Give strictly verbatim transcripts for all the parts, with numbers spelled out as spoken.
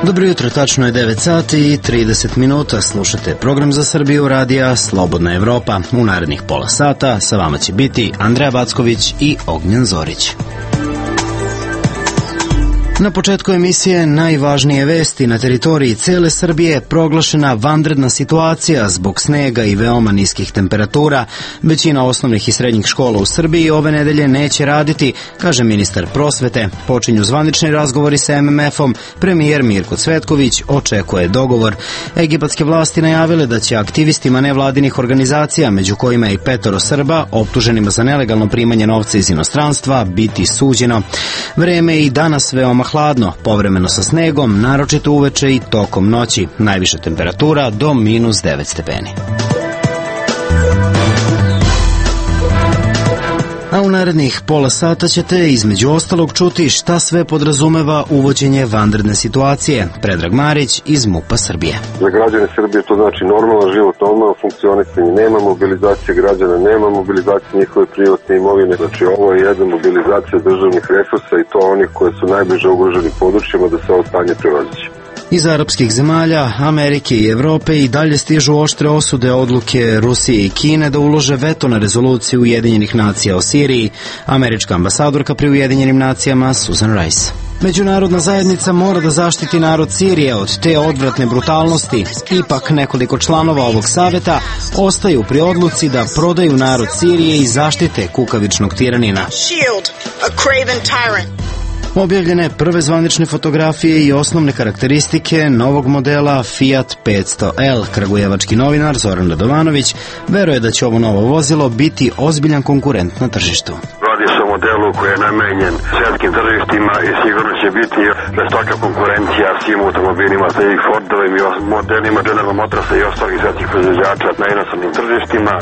Dobro jutro, tačno je devet sati i trideset minuta. Slušate program za Srbiju radija Slobodna Evropa. U narednih pola sata sa vama će biti Andreja Backović i Ognjen Zorić. Na početku emisije najvažnije vesti. Na teritoriji cele Srbije proglašena vanredna situacija zbog snega i veoma niskih temperatura. Većina osnovnih i srednjih škola u Srbiji ove nedelje neće raditi, kaže ministar prosvete. Počinju zvanični razgovori sa em em efom. Premijer Mirko Cvetković očekuje dogovor. Egipatske vlasti najavile da će aktivistima nevladinih organizacija, među kojima i petoro Srba, optuženima za nelegalno primanje novca iz inostranstva, biti suđeno. Vreme je i danas veoma hladno, povremeno sa snegom, naročito uveče i tokom noći. Najviša temperatura do minus devet stepeni. A u narednih pola sata ćete između ostalog čuti šta sve podrazumeva uvođenje vanredne situacije. Predrag Marić iz MUP-a Srbije. Za građane Srbije to znači normalan život, normalno funkcionisanje, nema mobilizacije građana, nema mobilizacije njihove privatne imovine. Znači ovo je jedna mobilizacija državnih resursa i to onih koje su najbliže ugroženim područjima da se ovo stanje prevaziće. Iz arapskih zemalja, Amerike i Evrope i dalje stižu oštre osude odluke Rusije i Kine da ulože veto na rezoluciju Ujedinjenih nacija o Siriji. Američka ambasadorka pri Ujedinjenim nacijama Susan Rice. Međunarodna zajednica mora da zaštiti narod Sirije od te odvratne brutalnosti. Ipak nekoliko članova ovog saveta ostaju pri odluci da prodaju narod Sirije i zaštite kukavičnog tiranina. Objavljene prve zvanične fotografije i osnovne karakteristike novog modela Fiat petsto L. Kragujevački novinar Zoran Radovanović veruje da će ovo novo vozilo biti ozbiljan konkurent na tržištu. Radi se o modelu koji je namenjen svjetskim tržištima i sigurno će biti žestoka konkurencija svim automobilima, sa i Fordovim i modelima General Motorsa i ostalih svjetskih proizvođača na inostranim tržištima.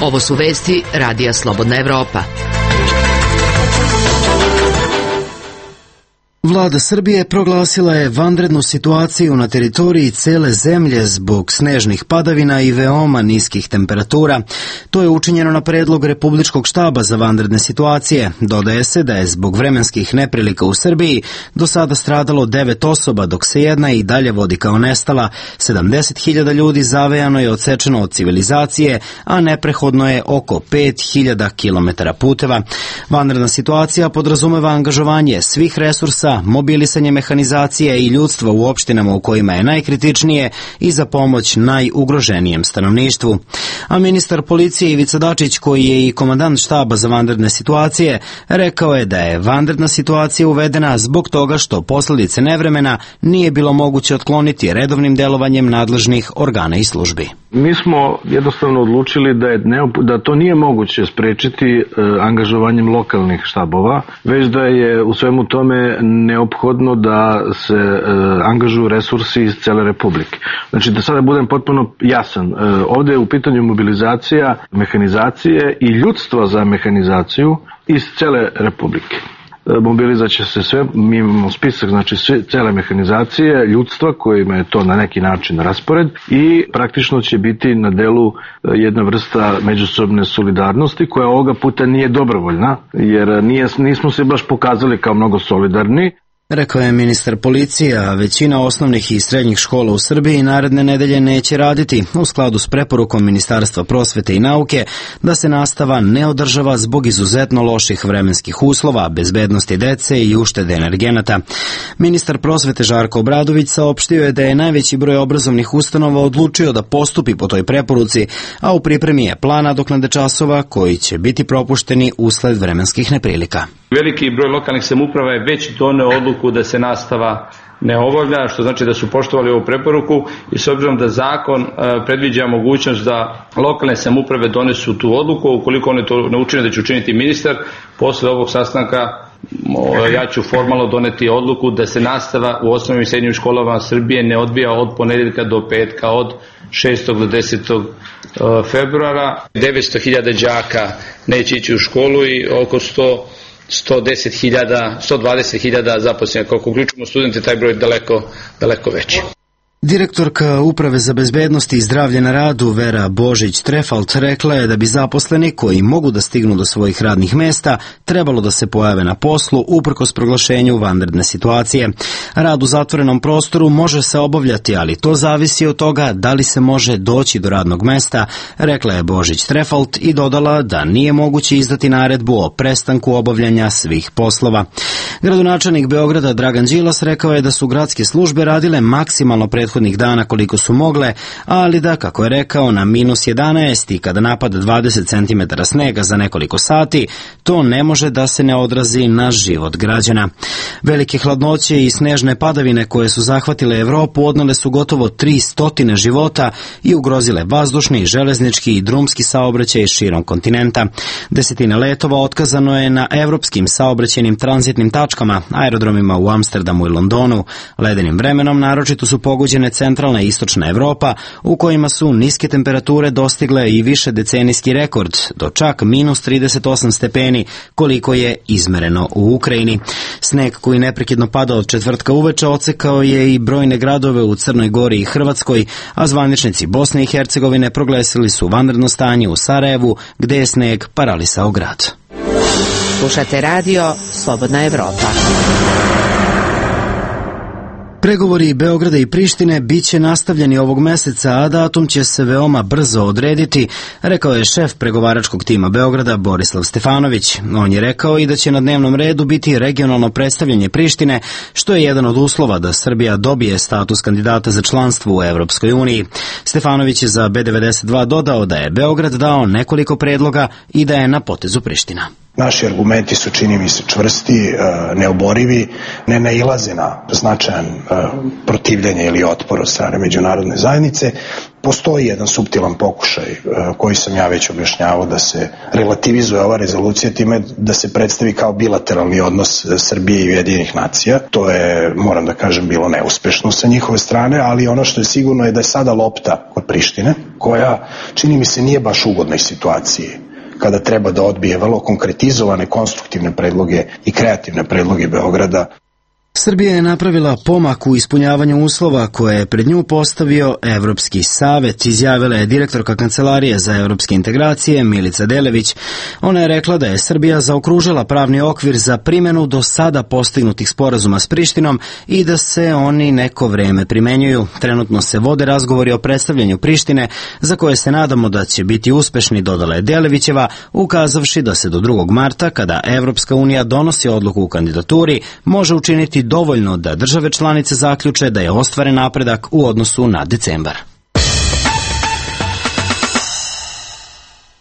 Ovo su vesti radija Slobodna Evropa. Vlada Srbije proglasila je vanrednu situaciju na teritoriji cele zemlje zbog snežnih padavina i veoma niskih temperatura. To je učinjeno na predlog Republičkog štaba za vanredne situacije. Dodaje se da je zbog vremenskih neprilika u Srbiji do sada stradalo devet osoba, dok se jedna i dalje vodi kao nestala. sedamdeset hiljada ljudi zavejano je odsečeno od civilizacije, a neprehodno je oko pet hiljada kilometara puteva. Vanredna situacija podrazumeva angažovanje svih resursa, mobilisanje mehanizacije i ljudstva u opštinama u kojima je najkritičnije i za pomoć najugroženijem stanovništvu. A ministar policije Ivica Dačić, koji je i komandant štaba za vanredne situacije, rekao je da je vanredna situacija uvedena zbog toga što posledice nevremena nije bilo moguće otkloniti redovnim delovanjem nadležnih organa i službi. Mi smo jednostavno odlučili da, je neop... da to nije moguće sprečiti e, angažovanjem lokalnih štabova, već da je u svemu tome neophodno da se e, angažuju resursi iz cele Republike. Znači da sada budem potpuno jasan, e, ovde je u pitanju mobilizacija mehanizacije i ljudstva za mehanizaciju iz cele Republike. Mobilizat će se sve, mi imamo spisak, znači sve, cele mehanizacije, ljudstva kojima je to na neki način raspored i praktično će biti na delu jedna vrsta međusobne solidarnosti koja ovoga puta nije dobrovoljna, jer nije, nismo se baš pokazali kao mnogo solidarni. Rekao je ministar policije, a većina osnovnih i srednjih škola u Srbiji naredne nedelje neće raditi u skladu s preporukom Ministarstva prosvete i nauke da se nastava ne održava zbog izuzetno loših vremenskih uslova, bezbednosti dece i uštede energenata. Ministar prosvete Žarko Obradović saopštio je da je najveći broj obrazovnih ustanova odlučio da postupi po toj preporuci, a u pripremi je plan nadoknade časova koji će biti propušteni usled vremenskih neprilika. Veliki broj lokalnih samouprava je već doneo odluku da se nastava ne obavlja, što znači da su poštovali ovu preporuku i s obzirom da zakon predviđa mogućnost da lokalne samouprave donesu tu odluku, ukoliko one to ne učine da će učiniti ministar, posle ovog sastanka ja ću formalno doneti odluku da se nastava u osnovnim i srednjim školama Srbije ne odvija od ponedeljka do petka, od šestog do desetog februara. devetsto hiljada đaka neće ići u školu i oko sto sto deset hiljada, sto dvadeset hiljada zaposlenih. Ako uključimo studente, taj broj je daleko, daleko veći. Direktorka Uprave za bezbednost i zdravlje na radu Vera Božić-Trefalt rekla je da bi zaposleni koji mogu da stignu do svojih radnih mesta trebalo da se pojave na poslu uprkos proglašenju vanredne situacije. Rad u zatvorenom prostoru može se obavljati, ali to zavisi od toga da li se može doći do radnog mesta, rekla je Božić-Trefalt i dodala da nije moguće izdati naredbu o prestanku obavljanja svih poslova. Gradonačelnik Beograda Dragan Đilas rekao je da su gradske službe radile maksimalno prethodnih dana koliko su mogle, ali da, kako je rekao, na minus jedanaest i kada napada dvadeset centimetara snega za nekoliko sati, to ne može da se ne odrazi na život građana. Velike hladnoće i snežne padavine koje su zahvatile Evropu odnele su gotovo tri stotine života i ugrozile vazdušni, železnički i drumski saobraćaj širom kontinenta. Desetine letova otkazano je na evropskim saobraćajnim tranzitnim tačkama, aerodromima u Amsterdamu i Londonu. Ledenim vremenom naročito su pogođene centralna i istočna Evropa, u kojima su niske temperature dostigle i više decenijski rekord, do čak minus trideset osam stepeni, koliko je izmereno u Ukrajini. Sneg koji neprekidno pada od četvrtka uveče odsekao je i brojne gradove u Crnoj Gori i Hrvatskoj, a zvaničnici Bosne i Hercegovine proglasili su vanredno stanje u Sarajevu, gde je sneg paralisao grad. Slušate radio Slobodna Evropa. Pregovori Beograda i Prištine biće nastavljeni ovog meseca, a datum će se veoma brzo odrediti, rekao je šef pregovaračkog tima Beograda Borislav Stefanović. On je rekao i da će na dnevnom redu biti regionalno predstavljanje Prištine, što je jedan od uslova da Srbija dobije status kandidata za članstvo u Evropskoj uniji. Stefanović je za B devedeset dva dodao da je Beograd dao nekoliko predloga i da je na potezu Priština. Naši argumenti su, čini mi se, čvrsti, neoborivi, ne nailaze na značajan protivljenje ili otpor od strane međunarodne zajednice. Postoji jedan suptilan pokušaj koji sam ja već objašnjavao da se relativizuje ova rezolucija time da se predstavi kao bilateralni odnos Srbije i Ujedinjenih nacija. To je, moram da kažem, bilo neuspešno sa njihove strane, ali ono što je sigurno je da je sada lopta kod Prištine, koja, čini mi se, nije baš u ugodnoj situaciji kada treba da odbije vrlo konkretizovane, konstruktivne predloge i kreativne predloge Beograda. Srbija je napravila pomak u ispunjavanju uslova koje je pred nju postavio Evropski savet, izjavila je direktorka Kancelarije za evropske integracije Milica Delević. Ona je rekla da je Srbija zaokružila pravni okvir za primjenu do sada postignutih sporazuma s Prištinom i da se oni neko vreme primenjuju. Trenutno se vode razgovori o predstavljanju Prištine, za koje se nadamo da će biti uspešni, dodala je Delevićeva, ukazavši da se do drugog marta, kada Evropska unija donosi odluku u kandidaturi, može učiniti dovoljno da države članice zaključe da je ostvaren napredak u odnosu na decembar.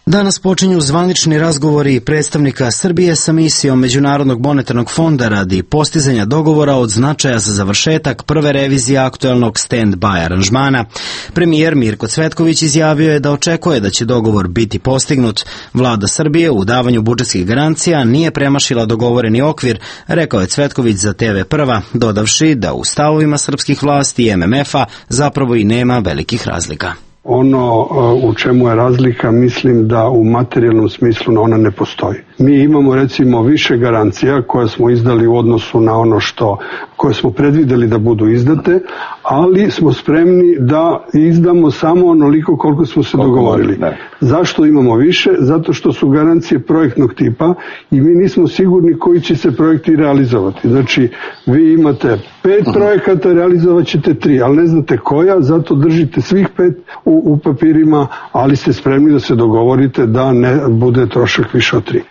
Danas počinju zvanični razgovori predstavnika Srbije sa misijom Međunarodnog monetarnog fonda radi postizanja dogovora od značaja za završetak prve revizije aktuelnog stand-by aranžmana. Premijer Mirko Cvetković izjavio je da očekuje da će dogovor biti postignut. Vlada Srbije u davanju budžetskih garancija nije premašila dogovoreni okvir, rekao je Cvetković za T V Prva, dodavši da u stavovima srpskih vlasti i M M F-a zapravo i nema velikih razlika. Ono u čemu je razlika, mislim da u materijalnom smislu ona ne postoji. Mi imamo recimo više garancija koje smo izdali u odnosu na ono što koje smo predvideli da budu izdate, ali smo spremni da izdamo samo onoliko koliko smo se dogovorili. Zašto imamo više? Zato što su garancije projektnog tipa i mi nismo sigurni koji će se projekti realizovati. Znači, vi imate pet projekata, realizovat ćete tri, ali ne znate koja, zato držite svih pet u, u papirima, ali ste spremni da se dogovorite da ne bude trošak više od tri.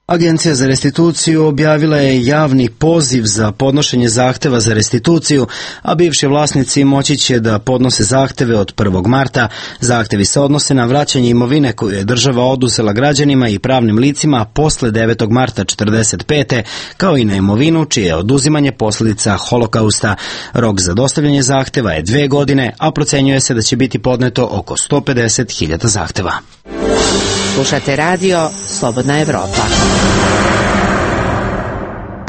Agencija za restituciju objavila je javni poziv za podnošenje zahteva za restituciju, a bivši vlasnici moći će da podnose zahteve od prvog marta. Zahtevi se odnose na vraćanje imovine koju je država oduzela građanima i pravnim licima posle devetog marta četrdeset pete, kao i na imovinu čije je oduzimanje posljedica holokausta. Rok za dostavljanje zahteva je dve godine, a procenjuje se da će biti podneto oko sto pedeset hiljada zahteva. Slušate radio Slobodna Evropa.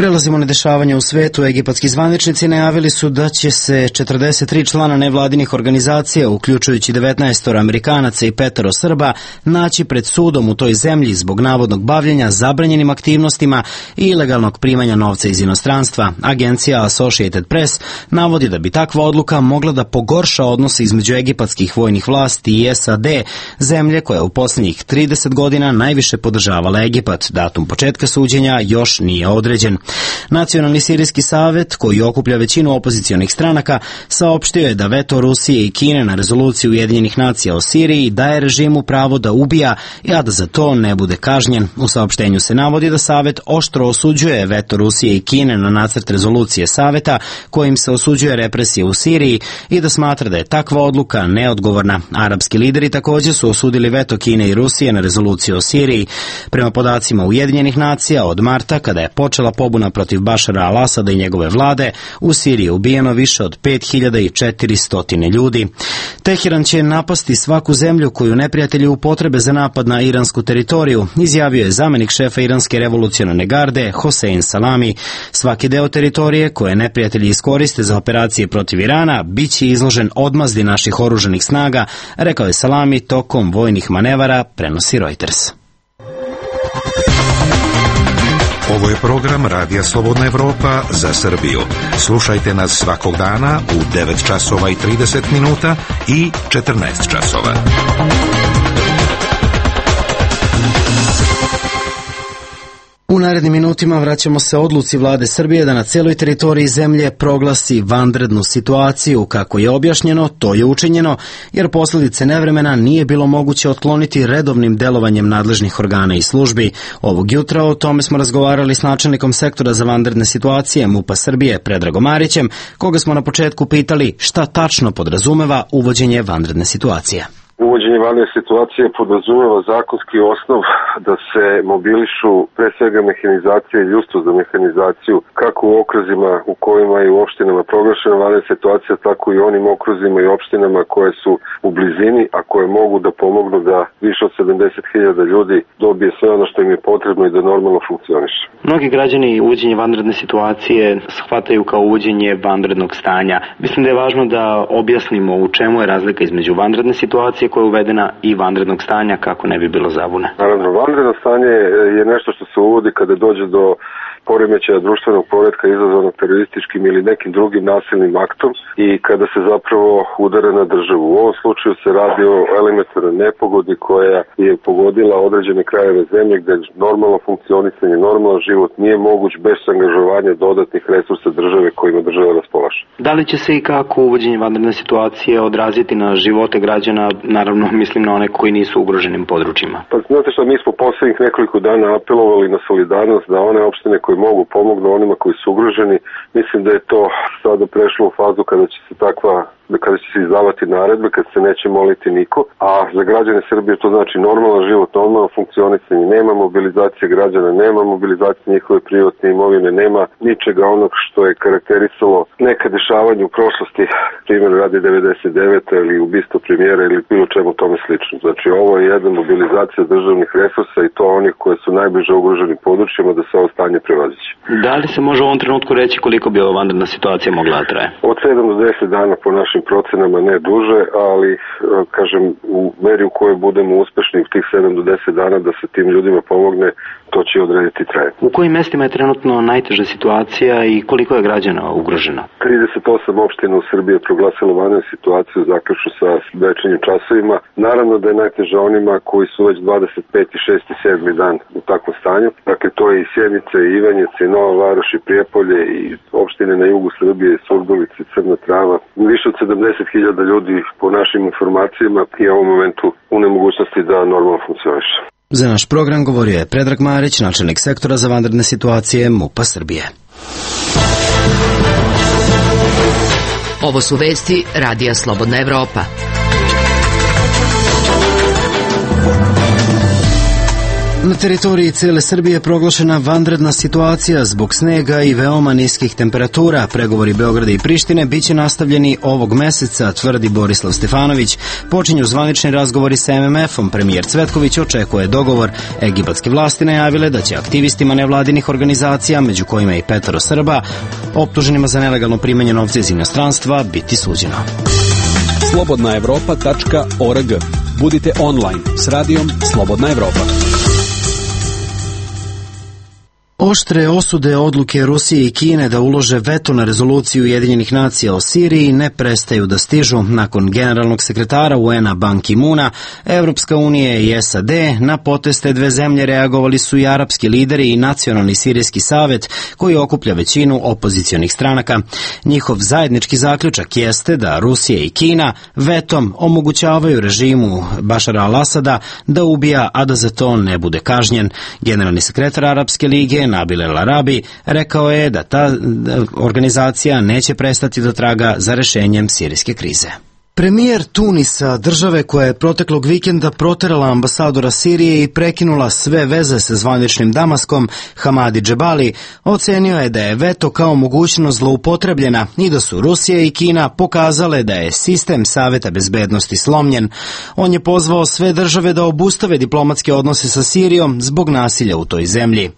Prelazimo na dešavanja u svetu. Egipatski zvaničnici najavili su da će se četrdeset tri člana nevladinih organizacija, uključujući devetnaest Amerikanaca i petoro Srba, naći pred sudom u toj zemlji zbog navodnog bavljenja zabranjenim aktivnostima i ilegalnog primanja novca iz inostranstva. Agencija Associated Press navodi da bi takva odluka mogla da pogorša odnose između egipatskih vojnih vlasti i S A D, zemlje koja u posljednjih trideset godina najviše podržavala Egipat. Datum početka suđenja još nije određen. Nacionalni sirijski savet, koji okuplja većinu opozicionih stranaka, saopštio je da veto Rusije i Kine na rezoluciju Ujedinjenih nacija o Siriji daje režimu pravo da ubija, a da za to ne bude kažnjen. U saopštenju se navodi da savet oštro osuđuje veto Rusije i Kine na nacrt rezolucije saveta kojim se osuđuje represije u Siriji i da smatra da je takva odluka neodgovorna. Arapski lideri također su osudili veto Kine i Rusije na rezoluciju o Siriji. Prema podacima Ujedinjenih nacija, od marta, kada je počela pobuna protiv Bašara al-Asada i njegove vlade, u Siriji je ubijeno više od pet hiljada četiristo ljudi. Teheran će napasti svaku zemlju koju neprijatelji upotrebe za napad na iransku teritoriju, izjavio je zamenik šefa iranske revolucionarne garde Hossein Salami. Svaki deo teritorije koje neprijatelji iskoriste za operacije protiv Irana bit će izložen odmazdi naših oružanih snaga, rekao je Salami tokom vojnih manevara, prenosi Reuters. Ovo je program Radija Slobodna Evropa za Srbiju. Slušajte nas svakog dana u devet časova i trideset minuta i četrnaest časova. U narednim minutima vraćamo se odluci vlade Srbije da na celoj teritoriji zemlje proglasi vanrednu situaciju. Kako je objašnjeno, to je učinjeno, jer posljedice nevremena nije bilo moguće otkloniti redovnim delovanjem nadležnih organa i službi. Ovog jutra o tome smo razgovarali s načelnikom sektora za vanredne situacije MUP-a Srbije, Predragom Marićem, koga smo na početku pitali šta tačno podrazumeva uvođenje vanredne situacije. Uvođenje vanredne situacije podrazumeva zakonski osnov da se mobilišu pre svega mehanizacija i ljudstvo za mehanizaciju, kako u okruzima u kojima je u opštinama proglašena vanredna situacija, tako i onim okruzima i opštinama koje su u blizini, a koje mogu da pomognu da više od sedamdeset hiljada ljudi dobije sve ono što im je potrebno i da normalno funkcioniše. Mnogi građani uvođenje vanredne situacije shvataju kao uvođenje vanrednog stanja. Mislim da je važno da objasnimo u čemu je razlika između vanredne situacije koja je uvedena i vanrednog stanja, kako ne bi bilo zabune. Naravno, vanredno stanje je nešto što se uvodi kada dođe do poremećaja društvenog poretka izazvanog terorističkim ili nekim drugim nasilnim aktom i kada se zapravo udara na državu. U ovom slučaju se radi o elementarnoj nepogodi koja je pogodila određene krajeve zemlje gde normalno funkcionisanje, normalan život nije moguć bez angažovanja dodatnih resursa države kojima država raspolaže. Da li će se i kako uvođenje vanredne situacije odraziti na živote građana, naravno mislim na one koji nisu u ugroženim područjima? Pa znate što, mi smo poslednjih nekoliko dana apelovali na solidarnost da one opštine koji mogu pomognu onima koji su ugroženi. Mislim da je to sada prešlo u fazu kada će se takva kada će se izdavati naredbe, kad se neće moliti niko, a za građane Srbije to znači normalan život, normalno funkcionisanje, nema mobilizacije građana, nema mobilizacije njihove privatne imovine, nema ničega onog što je karakterisalo neka dešavanja u prošlosti, primjer radi devedeset devete ili ubistvo premijera ili bilo čemu tome slično. Znači ovo je jedna mobilizacija državnih resursa i to onih koje su najbliže ugroženim područjima da se ovo stanje prevaziće. Da li se može u ovom trenutku reći koliko bi ova vanredna situacija mogla da traje? Od sedam do deset dana po našim procenama, ne duže, ali kažem u meri u kojoj budemo uspešni u tih sedam do deset dana da se tim ljudima pomogne, to će odrediti trajanje. U kojim mestima je trenutno najteža situacija i koliko je građana ugroženo? trideset osam opština u Srbiji je proglasilo vanrednu situaciju zaključno sa večernjim časovima. Naravno da je najteža onima koji su već dvadeset peti, šesti, sedmi dan u takvom stanju. Dakle, to je i Sjenica, i Ivanjica, i Nova Varoš, i Prijepolje, i opštine na jugu Srbije, i Surdulica, i Crna Trava. Više od sedamdeset hiljada ljudi po našim informacijama i u ovom momentu u nemogućnosti da normalno funkcioniše. Za naš program govorio je Predrag Marić, načelnik sektora za vanredne situacije MUP-a Srbije. Ovo su vesti Radija Slobodna Evropa. Na teritoriji cele Srbije je proglašena vanredna situacija zbog snega i veoma niskih temperatura. Pregovori Beograda i Prištine biće nastavljeni ovog meseca, tvrdi Borislav Stefanović. Počinju zvanični razgovori sa em em efom. Premijer Cvetković očekuje dogovor. Egipatske vlasti najavile da će aktivistima nevladinih organizacija, među kojima i petoro Srba, optuženima za nelegalno primanje novca iz inostranstva, biti suđeno. slobodna evropa tačka org. Budite online s radijom Slobodna Evropa. Oštre osude odluke Rusije i Kine da ulože veto na rezoluciju Ujedinjenih nacija o Siriji ne prestaju da stižu. Nakon generalnog sekretara u en a Ban Ki-muna, Evropska unija i es a de na poteste dve zemlje reagovali su i arapski lideri i Nacionalni sirijski savet koji okuplja većinu opozicionih stranaka. Njihov zajednički zaključak jeste da Rusija i Kina vetom omogućavaju režimu Bašara al-Asada da ubija, a da za to ne bude kažnjen. Generalni sekretar Arapske lige Nabil El Arabi rekao je da ta organizacija neće prestati da traga za rešenjem sirijske krize. Premijer Tunisa, države koja je proteklog vikenda proterala ambasadora Sirije i prekinula sve veze sa zvaničnim Damaskom, Hamadi Džebali, ocenio je da je veto kao mogućnost zloupotrebljena i da su Rusija i Kina pokazale da je sistem Saveta bezbednosti slomljen. On je pozvao sve države da obustave diplomatske odnose sa Sirijom zbog nasilja u toj zemlji.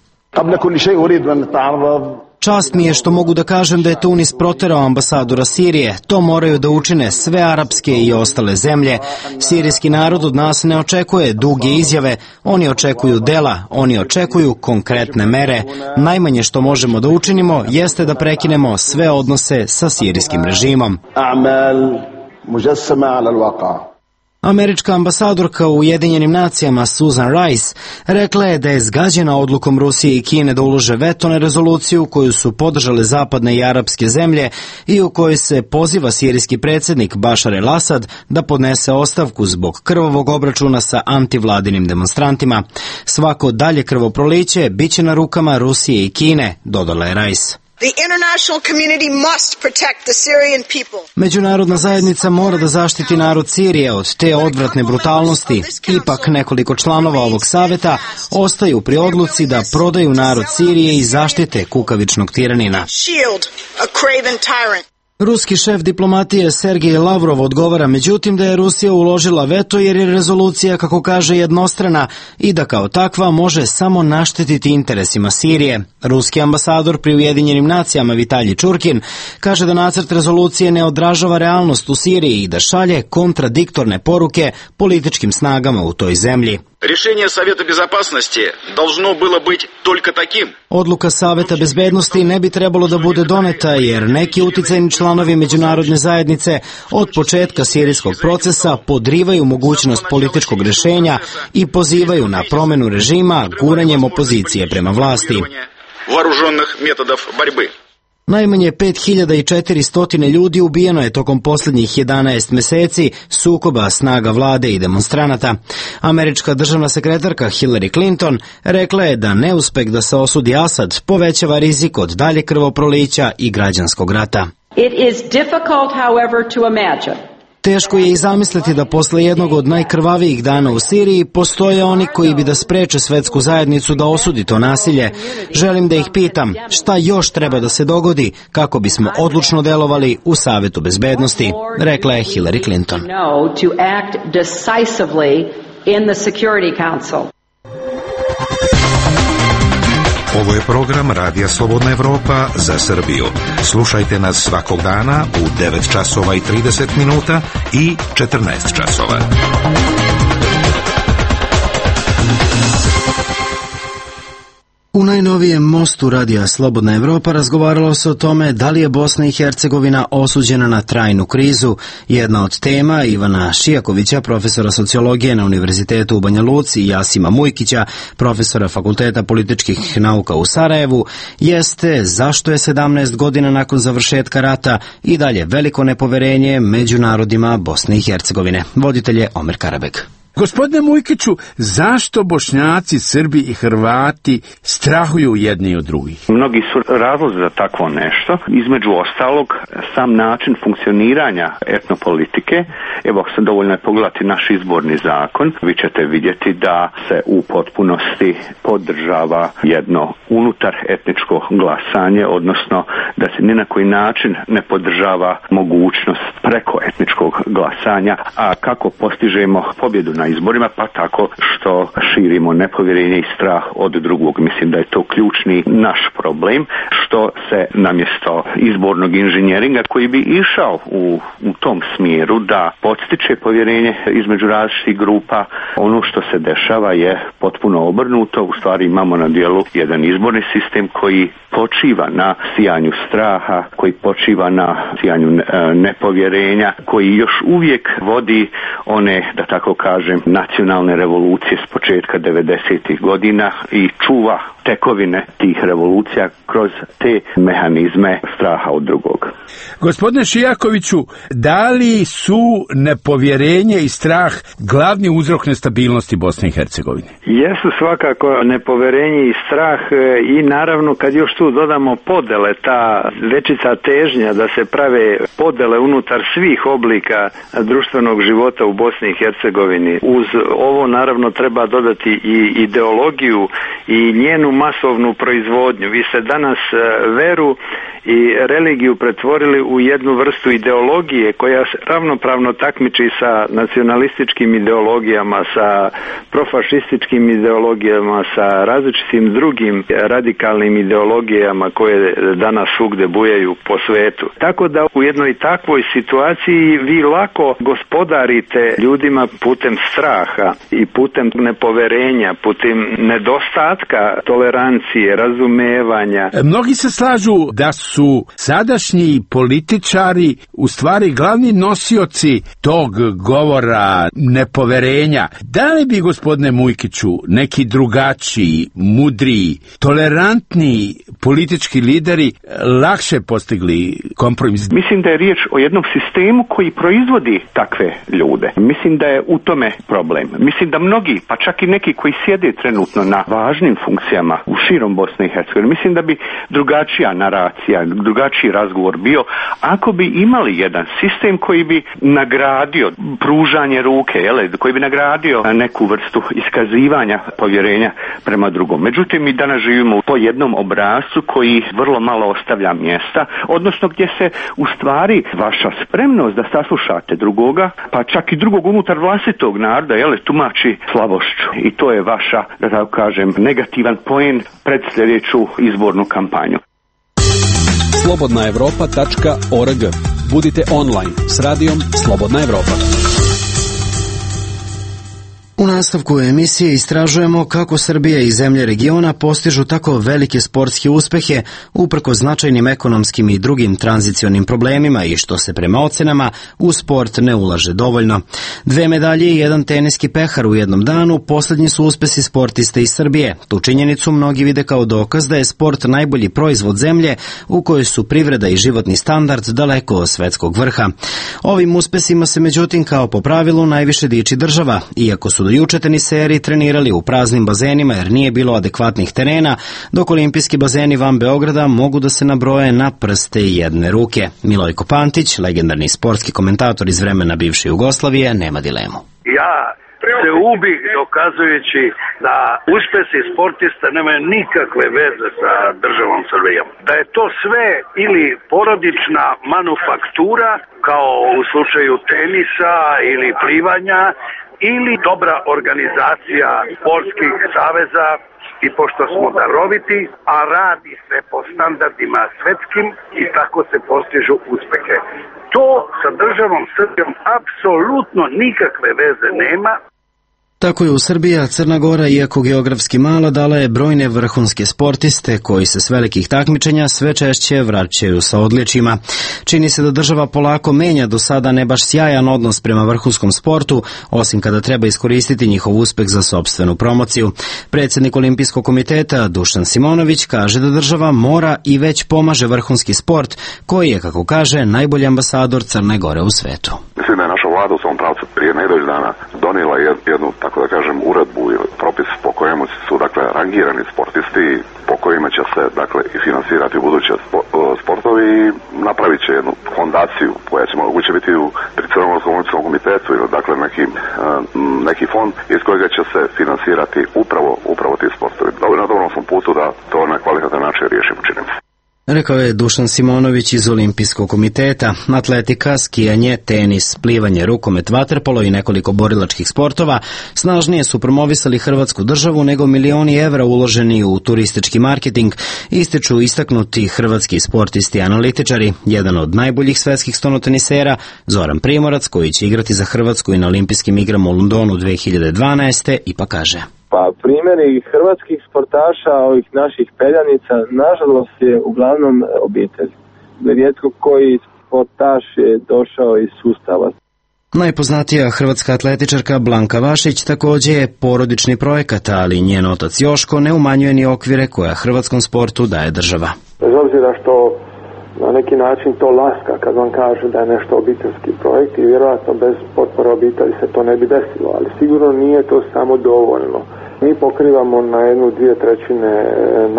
Čast mi je što mogu da kažem da je Tunis proterao ambasadora Sirije. To moraju da učine sve arapske i ostale zemlje. Sirijski narod od nas ne očekuje duge izjave, oni očekuju dela, oni očekuju konkretne mere. Najmanje što možemo da učinimo jeste da prekinemo sve odnose sa sirijskim režimom. Američka ambasadorka u Ujedinjenim nacijama Susan Rice rekla je da je zgađena odlukom Rusije i Kine da ulože veto na rezoluciju koju su podržale zapadne i arapske zemlje i u kojoj se poziva sirijski predsjednik Bašar el-Asad da podnese ostavku zbog krvavog obračuna sa antivladinim demonstrantima. Svako dalje krvoproliće biće na rukama Rusije i Kine, dodala je Rice. Međunarodna zajednica mora da zaštiti narod Sirije od te odvratne brutalnosti. Ipak nekoliko članova ovog saveta ostaju pri odluci da prodaju narod Sirije i zaštite kukavičnog tiranina. Ruski šef diplomatije Sergej Lavrov odgovara međutim da je Rusija uložila veto jer je rezolucija, kako kaže, jednostrana i da kao takva može samo naštetiti interesima Sirije. Ruski ambasador pri Ujedinjenim nacijama Vitalij Čurkin kaže da nacrt rezolucije ne odražava realnost u Siriji i da šalje kontradiktorne poruke političkim snagama u toj zemlji. Решение Совета Безопасности должно было быть только таким. Odluka Saveta bezbednosti ne bi trebalo da bude doneta jer neki uticajni članovi međunarodne zajednice od početka sirijskog procesa podrivaju mogućnost političkog rešenja i pozivaju na promenu režima guranjem opozicije prema vlasti. Вооруженных методов борьбы. Najmanje pet hiljada četiristo ljudi ubijeno je tokom posljednjih jedanaest meseci sukoba snaga vlade i demonstranata. Američka državna sekretarka Hillary Clinton rekla je da neuspeh da se osudi Asad povećava rizik od dalje krvoprolića i građanskog rata. It is difficult, however, to imagine. Teško je i zamisliti da posle jednog od najkrvavijih dana u Siriji postoje oni koji bi da spreče svetsku zajednicu da osudi to nasilje. Želim da ih pitam šta još treba da se dogodi kako bismo odlučno delovali u Savetu bezbednosti, rekla je Hillary Clinton. Ovo je program Radija Slobodna Evropa za Srbiju. Slušajte nas svakog dana u devet časova i trideset minuta i četrnaest časova. U najnovijem mostu Radija Slobodna Evropa razgovaralo se o tome da li je Bosna i Hercegovina osuđena na trajnu krizu. Jedna od tema Ivana Šijakovića, profesora sociologije na Univerzitetu u Banja Luci, i Jasima Mujkića, profesora Fakulteta političkih nauka u Sarajevu, jeste zašto je sedamnaest godina nakon završetka rata i dalje veliko nepoverenje među narodima Bosne i Hercegovine. Voditelj je Omer Karabek. Gospodine Mujkiću, zašto Bošnjaci, Srbi i Hrvati strahuju jedni od drugih? Mnogi su razlozi za takvo nešto. Između ostalog, sam način funkcioniranja etnopolitike. Evo, sam dovoljno je pogledati naš izborni zakon. Vi ćete vidjeti da se u potpunosti podržava jedno unutar etničko glasanje, odnosno da se ni na koji način ne podržava mogućnost preko etničkog glasanja. A kako postižemo pobjedu na izborima? Pa tako što širimo nepovjerenje i strah od drugog. Mislim da je to ključni naš problem, što se namjesto izbornog inženjeringa koji bi išao u, u tom smjeru da podstiče povjerenje između različitih grupa, ono što se dešava je potpuno obrnuto. U stvari imamo na dijelu jedan izborni sistem koji počiva na sijanju straha, koji počiva na sijanju nepovjerenja, koji još uvijek vodi one, da tako kažem, nacionalne revolucije s početka devedesetih godina i čuva tekovine tih revolucija kroz te mehanizme straha od drugog. Gospodine Šijakoviću, da li su nepovjerenje i strah glavni uzrok nestabilnosti Bosne i Hercegovine? Jesu svakako nepovjerenje i strah i naravno kad još tu dodamo podele, ta većica težnja da se prave podele unutar svih oblika društvenog života u Bosni i Hercegovini. Uz ovo naravno treba dodati i ideologiju i njenu masovnu proizvodnju. Vi ste danas veru i religiju pretvorili u jednu vrstu ideologije koja ravnopravno takmiči sa nacionalističkim ideologijama, sa profašističkim ideologijama, sa različitim drugim radikalnim ideologijama koje danas svugde bujaju po svetu. Tako da u jednoj takvoj situaciji vi lako gospodarite ljudima putem straha i putem nepoverenja, putem nedostatka tolerancije, razumevanja. Mnogi se slažu da su sadašnji političari u stvari glavni nosioci tog govora nepoverenja. Da li bi, gospodine Mujkiću, neki drugačiji, mudriji, tolerantni politički lideri lakše postigli kompromis? Mislim da je riječ o jednom sistemu koji proizvodi takve ljude. Mislim da je u tome problem. Mislim da mnogi, pa čak i neki koji sjede trenutno na važnim funkcijama u širom Bosne i Hercegovine, mislim da bi drugačija naracija, drugačiji razgovor bio ako bi imali jedan sistem koji bi nagradio pružanje ruke, jele, koji bi nagradio neku vrstu iskazivanja povjerenja prema drugom. Međutim, mi danas živimo po jednom obrascu koji vrlo malo ostavlja mjesta, odnosno gdje se u stvari vaša spremnost da saslušate drugoga, pa čak i drugog unutar vlastitog naroda, jele, tumači slabošću. I to je vaša, da tako kažem, negativan poen pred sljedeću izbornu kampanju. slobodna evropa tačka org. Budite online s radijom Slobodna Evropa. U nastavku emisije istražujemo kako Srbija i zemlje regiona postižu tako velike sportske uspehe uprkos značajnim ekonomskim i drugim tranzicionim problemima i što se prema ocenama u sport ne ulaže dovoljno. Dve medalje i jedan teniski pehar u jednom danu posljednji su uspesi sportiste iz Srbije. Tu činjenicu mnogi vide kao dokaz da je sport najbolji proizvod zemlje u kojoj su privreda i životni standard daleko od svetskog vrha. Ovim uspesima se međutim kao po pravilu najviše diči država, iako su do juče teniseri trenirali u praznim bazenima jer nije bilo adekvatnih terena, dok olimpijski bazeni van Beograda mogu da se nabroje na prste jedne ruke. Milojko Pantić, legendarni sportski komentator iz vremena bivše Jugoslavije, nema dilemu. Ja se ubi dokazujući da uspesi sportista nemaju nikakve veze sa državom Srbijom. Da je to sve ili porodična manufaktura, kao u slučaju tenisa ili plivanja, ili dobra organizacija sportskih saveza i pošto smo daroviti, a radi se po standardima svetskim i tako se postižu uspehe. To sa državom Srbijom apsolutno nikakve veze nema. Tako je u Srbiji, a Crna Gora, iako geografski mala, dala je brojne vrhunske sportiste koji se s velikih takmičenja sve češće vraćaju sa odličjima. Čini se da država polako menja do sada ne baš sjajan odnos prema vrhunskom sportu, osim kada treba iskoristiti njihov uspeh za sopstvenu promociju. Predsjednik Olimpijskog komiteta Dušan Simonović kaže da država mora i već pomaže vrhunski sport, koji je, kako kaže, najbolji ambasador Crne Gore u svetu. Mislim da je naša vlada u svom pravcu prije nedelju dana donijela jednu, tako da kažem, uredbu ili propis po kojemu su, dakle, rangirani sportisti, po kojima će se, dakle, i finansirati u buduće sportovi i napravit će jednu fondaciju koja će moguće biti u pri Crnogorskom olimpijskom komitetu ili, dakle, neki, neki fond iz kojega će se finansirati upravo, upravo ti sportovi. Na dobrom smo putu da to na kvalitetan način riješimo, činimo. Rekao je Dušan Simonović iz Olimpijskog komiteta. Atletika, skijanje, tenis, plivanje, rukomet, vaterpolo i nekoliko borilačkih sportova snažnije su promovisali Hrvatsku državu nego milioni evra uloženi u turistički marketing, ističu istaknuti hrvatski sportisti i analitičari. Jedan od najboljih svetskih stonotenisera, Zoran Primorac, koji će igrati za Hrvatsku i na olimpijskim igrama u Londonu dve hiljade dvanaeste. ipak kaže: Pa primjeri hrvatskih sportaša, ovih naših peljanica, nažalost je uglavnom obitelj. Rijetko koji sportaš je došao iz sustava. Najpoznatija hrvatska atletičarka Blanka Vašić također je porodični projekat, ali njen otac Joško ne umanjuje ni okvire koja hrvatskom sportu daje država. Bez obzira što na neki način to laska kad vam kaže da je nešto obiteljski projekt i vjerojatno bez potpore obitelji se to ne bi desilo, ali sigurno nije to samo dovoljno. Mi pokrivamo na jednu, dvije trećine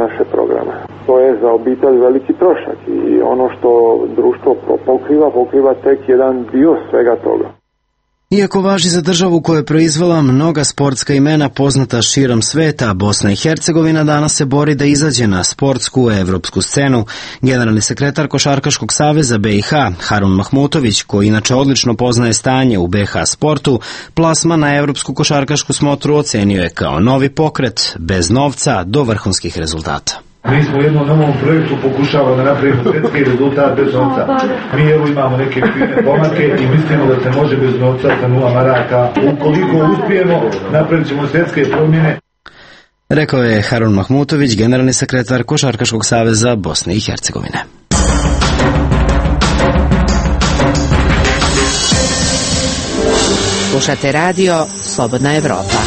naše programe. To je za obitelj veliki trošak i ono što društvo pokriva, pokriva tek jedan dio svega toga. Iako važi za državu koja je proizvela mnoga sportska imena poznata širom sveta, Bosna i Hercegovina danas se bori da izađe na sportsku evropsku scenu. Generalni sekretar Košarkaškog saveza be i ha, Harun Mahmutović, koji inače odlično poznaje stanje u be i ha sportu, plasman na evropsku košarkašku smotru ocenio je kao novi pokret, bez novca do vrhunskih rezultata. Mi smo u jednom novom projektu pokušavamo da napravimo svjetski rezultat bez novca. Mi evo imamo neke fine pomake i mislimo da se može bez novca sa nula maraka. Ukoliko uspijemo, napravit ćemo svjetske promjene. Rekao je Harun Mahmutović, generalni sekretar Košarkaškog saveza Bosne i Hercegovine. Slušate radio Slobodna Evropa.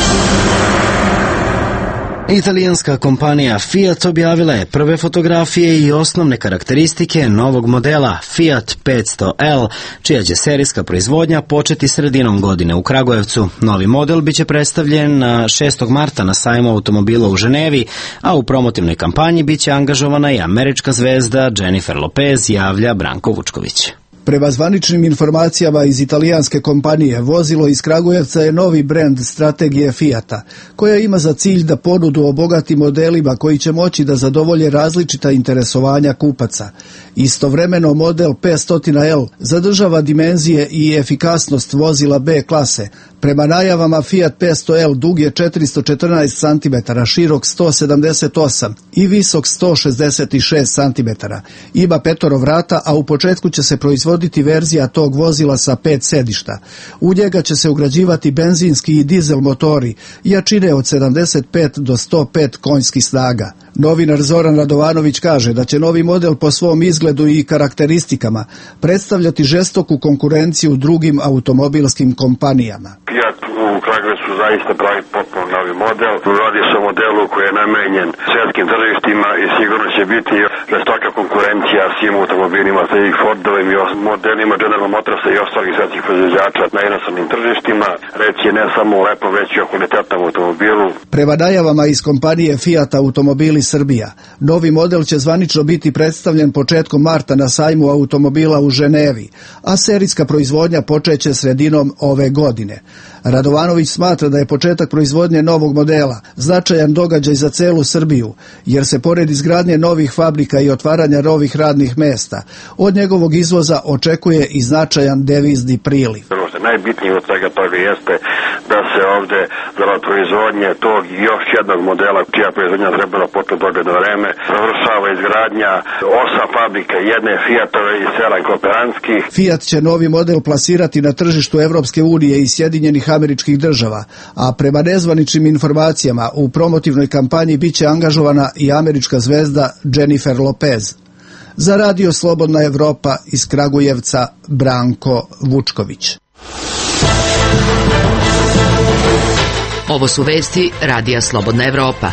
Italijanska kompanija Fiat objavila je prve fotografije i osnovne karakteristike novog modela Fiat petsto L, čija će serijska proizvodnja početi sredinom godine u Kragujevcu. Novi model biće predstavljen na šestog marta na sajmu automobila u Ženevi, a u promotivnoj kampanji biće angažovana i američka zvezda Jennifer Lopez, javlja Branko Vučković. Prema zvaničnim informacijama iz italijanske kompanije, vozilo iz Kragujevca je novi brend strategije Fiata, koja ima za cilj da ponudu obogati modelima koji će moći da zadovolje različita interesovanja kupaca. Istovremeno model petsto L zadržava dimenzije i efikasnost vozila B klase. Prema najavama Fiat petsto L dug je četiristo četrnaest centimetara, širok sto sedamdeset osam i visok sto šezdeset šest centimetara. Ima petoro vrata, a u početku će se proizvoditi verzija tog vozila sa pet sedišta. U njega će se ugrađivati benzinski i dizel motori, jačine od sedamdeset pet do sto pet konjskih snaga. Novinar Zoran Radovanović kaže da će novi model po svom izgledu i karakteristikama predstavljati žestoku konkurenciju drugim automobilskim kompanijama. Fiat u Kragujevcu zaista pravi potpuno novi model. Radi se o modelu koji je namenjen svjetskim tržištima i sigurno će biti žestoka konkurencija svim automobilima, sa i Fordovim i modelima General Motorsa i ostalih svjetskih proizvođača na inostranim tržištima. Reći je ne samo o lepom, već i o kvalitetnom automobilu. Prema najavama iz kompanije Fiat Automobili Srbija, novi model će zvanično biti predstavljen početkom marta na sajmu automobila u Ženevi, a serijska proizvodnja počeće sredinom ove godine. Radovanović smatra da je početak proizvodnje novog modela značajan događaj za celu Srbiju, jer se pored izgradnje novih fabrika i otvaranja novih radnih mesta, od njegovog izvoza očekuje i značajan devizni priliv. Najbitnije od svega toga jeste da se ovde za proizvodnje tog još jednog modela, čija proizvodnja trebala početi dogledno vreme, završava izgradnja osam fabrika, jedne Fiatove i sedam kooperantskih. Fiat će novi model plasirati na tržištu Evropske unije i Sjedinjenih Američkih Država, a prema nezvaničnim informacijama u promotivnoj kampanji biće angažovana i američka zvezda Jennifer Lopez. Za radio Slobodna Evropa iz Kragujevca, Branko Vučković. Ovo su vesti radija Slobodna Evropa.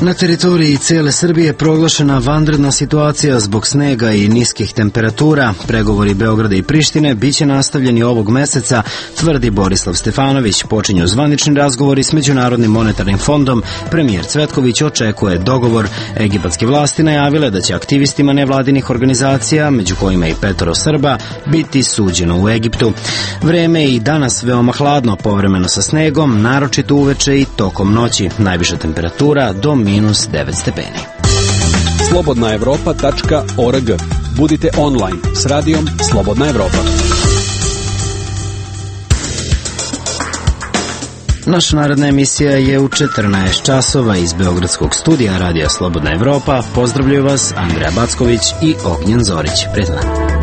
Na teritoriji cele Srbije proglašena vanredna situacija zbog snega i niskih temperatura. Pregovori Beograda i Prištine biće nastavljeni ovog meseca, tvrdi Borislav Stefanović. Počinju zvanični razgovori s Međunarodnim monetarnim fondom. Premijer Cvetković očekuje dogovor. Egipatske vlasti najavile da će aktivistima nevladinih organizacija, među kojima i petoro Srba, biti suđeno u Egiptu. Vreme je i danas veoma hladno, povremeno sa snegom, naročito uveče i tokom noći. Najviša temperatura do minus devet stepeni. slobodna evropa tačka org. Budite online s radijom Slobodna Evropa. Naša naredna emisija je u četrnaest časova iz Beogradskog studija Radija Slobodna Evropa. Pozdravljaju vas Andreja Backović i Ognjen Zorić. Prijatno.